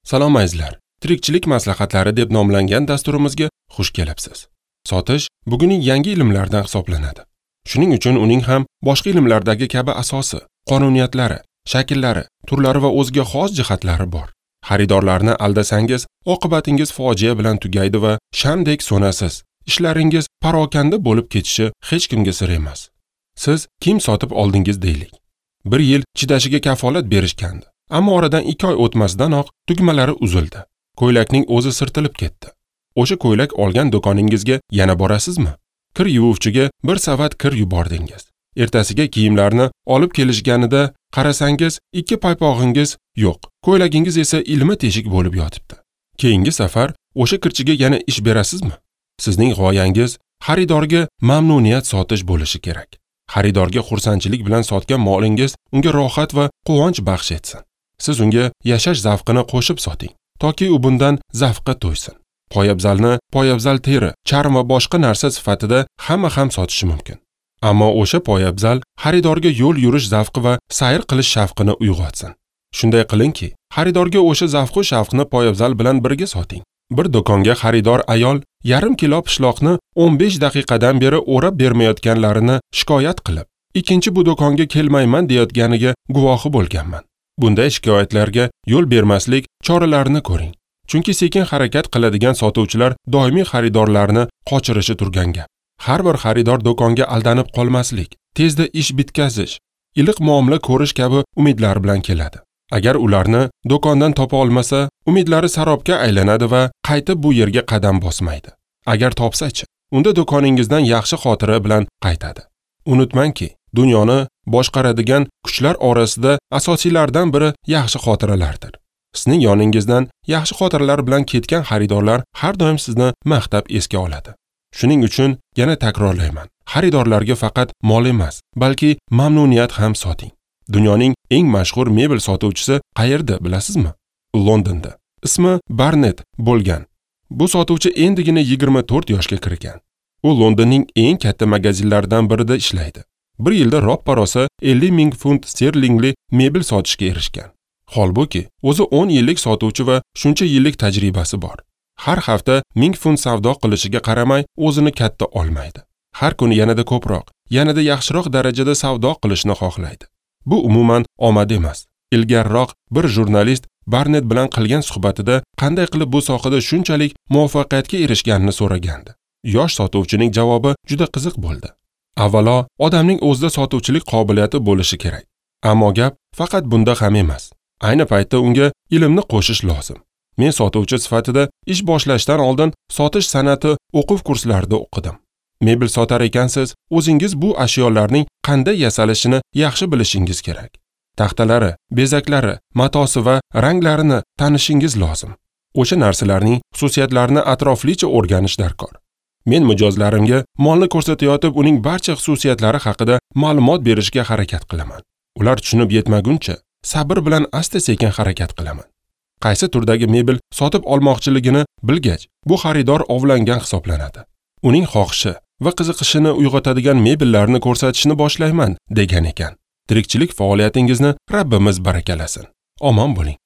Salom azizlar. Tirikchilik maslahatlari deb nomlangan dasturimizga xush kelibsiz. Sotish bugunning yangi ilmlardan hisoblanadi. Shuning uchun uning ham boshqa ilmlardagi kabi asosi, qonuniyatlari, shakllari, turlari va o'ziga xos jihatlari bor. Xaridorlarni aldasangiz, oqibatingiz fojia bilan tugaydi va shamdek so'nasiz. Ishlaringiz parokanda bo'lib ketishi hech kimga sir emas. Siz kiyim sotib oldingiz deylik. Bir yil chidashiga kafolat berishgandi. Ammo oradan 2 oy o'tmasdanoq tugmalari uzildi. Ko'ylakning o'zi sirtilib ketdi. O'sha ko'ylak olgan do'koningizga yana borasizmi? Kir yuvuvchiga bir savat kir yubordingiz. Ertasiga kiyimlarni olib kelishganida qarasangiz, 2 paypog'ingiz yo'q. Ko'ylagingiz esa ilma teshik bo'lib yotibdi. Keyingi safar o'sha kirchiga yana ish berasizmi? Sizning g'oyangiz xaridorga mamnuniyat sotish bo'lishi kerak. Xaridorga xursandchilik bilan sotgan molingiz unga rohat va quvonch baxsh etsin. Siz unga yashash zavqini qo'shib soting, toki u bundan zavqqa to'ysin. Poyabzalni poyabzal teri, charm va boshqa narsa sifatida hamma ham sotishi mumkin. Ammo o'sha poyabzal xaridorga yo'l yurish zavqi va sayr qilish shavqini uyg'otsin. Shunday qilingki, xaridorga o'sha zavqu shavqni poyabzal bilan birga soting. Bir do'konga xaridor ayol yarim kilo pishloqni 15 daqiqadan beri o'rab bermayotganlarini shikoyat qilib, ikkinchi bu do'konga kelmayman deyotganiga guvohi bo'lganman. Bunday shikoyatlarga yo'l bermaslik choralarini ko'ring. Chunki sekin harakat qiladigan sotuvchilar doimiy xaridorlarni qochirishi turgan gap. Har bir xaridor do'konga aldanib qolmaslik, tezda ish bitkazish, iliq muomala ko'rish kabi umidlar bilan keladi. Agar ularni do'kondan topa olmasa, umidlari sarobga aylanadi va qaytib bu yerga qadam bosmaydi. Agar topsa-chi, unda do'koningizdan yaxshi xotira bilan qaytadi. Unutmangki, dunyoni boshqaradigan kuchlar orasida asosiylardan biri yaxshi xotiralardir. Sizning yoningizdan yaxshi xotiralar bilan ketgan xaridorlar har doim sizni maqtab esga oladi. Shuning uchun yana takrorlayman. Xaridorlarga faqat mol emas, balki mamnuniyat ham soting. Dunyoning eng mashhur mebel sotuvchisi qayerda bilasizmi? Londonda. Ismi Barnet bo'lgan. Bu sotuvchi endigina 24 yoshga kirgan. U Londonning eng katta magazinlaridan birida ishlaydi. Bir yilda roppa-rosa 50 ming funt sterlingli mebel sotishga erishgan. Holbuki, o'zi 10 yillik sotuvchi va shuncha yillik tajribasi bor. Har hafta 1000 funt savdo qilishiga qaramay, o'zini katta olmaydi. Har kuni yanada ko'proq, yanada yaxshiroq darajada savdo qilishni xohlaydi. Bu umuman omad emas. Ilgariroq bir jurnalist Barnet bilan qilgan suhbatida qanday qilib bu sohada shunchalik muvaffaqiyatga erishganini so'ragandi. Yosh sotuvchining javobi juda qiziq bo'ldi. Avvalo, odamning o'zida sotuvchilik qobiliyati bo'lishi kerak. Ammo gap faqat bunda ham emas. Ayni paytda unga ilmni qo'shish lozim. Men sotuvchi sifatida ish boshlashdan oldin sotish san'ati o'quv kurslarida o'qidim. Mebel sotar ekansiz, o'zingiz bu ashyolarning qanday yasalishini yaxshi bilishingiz kerak. Taxtalari, bezaklari, matosi va ranglarini tanishingiz lozim. O'sha narsalarning xususiyatlarini atroflicha o'rganish darkor. Men mijozlarimga molni ko'rsatayotib, uning barcha xususiyatlari haqida ma'lumot berishga harakat qilaman. Ular tushunib yetmaguncha sabr bilan asta-sekin harakat qilaman. Qaysi turdagi mebel sotib olmoqchiligini bilgach, bu xaridor ovlangan hisoblanadi. Uning xohishi va qiziqishini uyg'otadigan mebellarni ko'rsatishni boshlayman degan ekan. Tirikchilik faoliyatingizni Rabbimiz barakalasin. Omon bo'ling.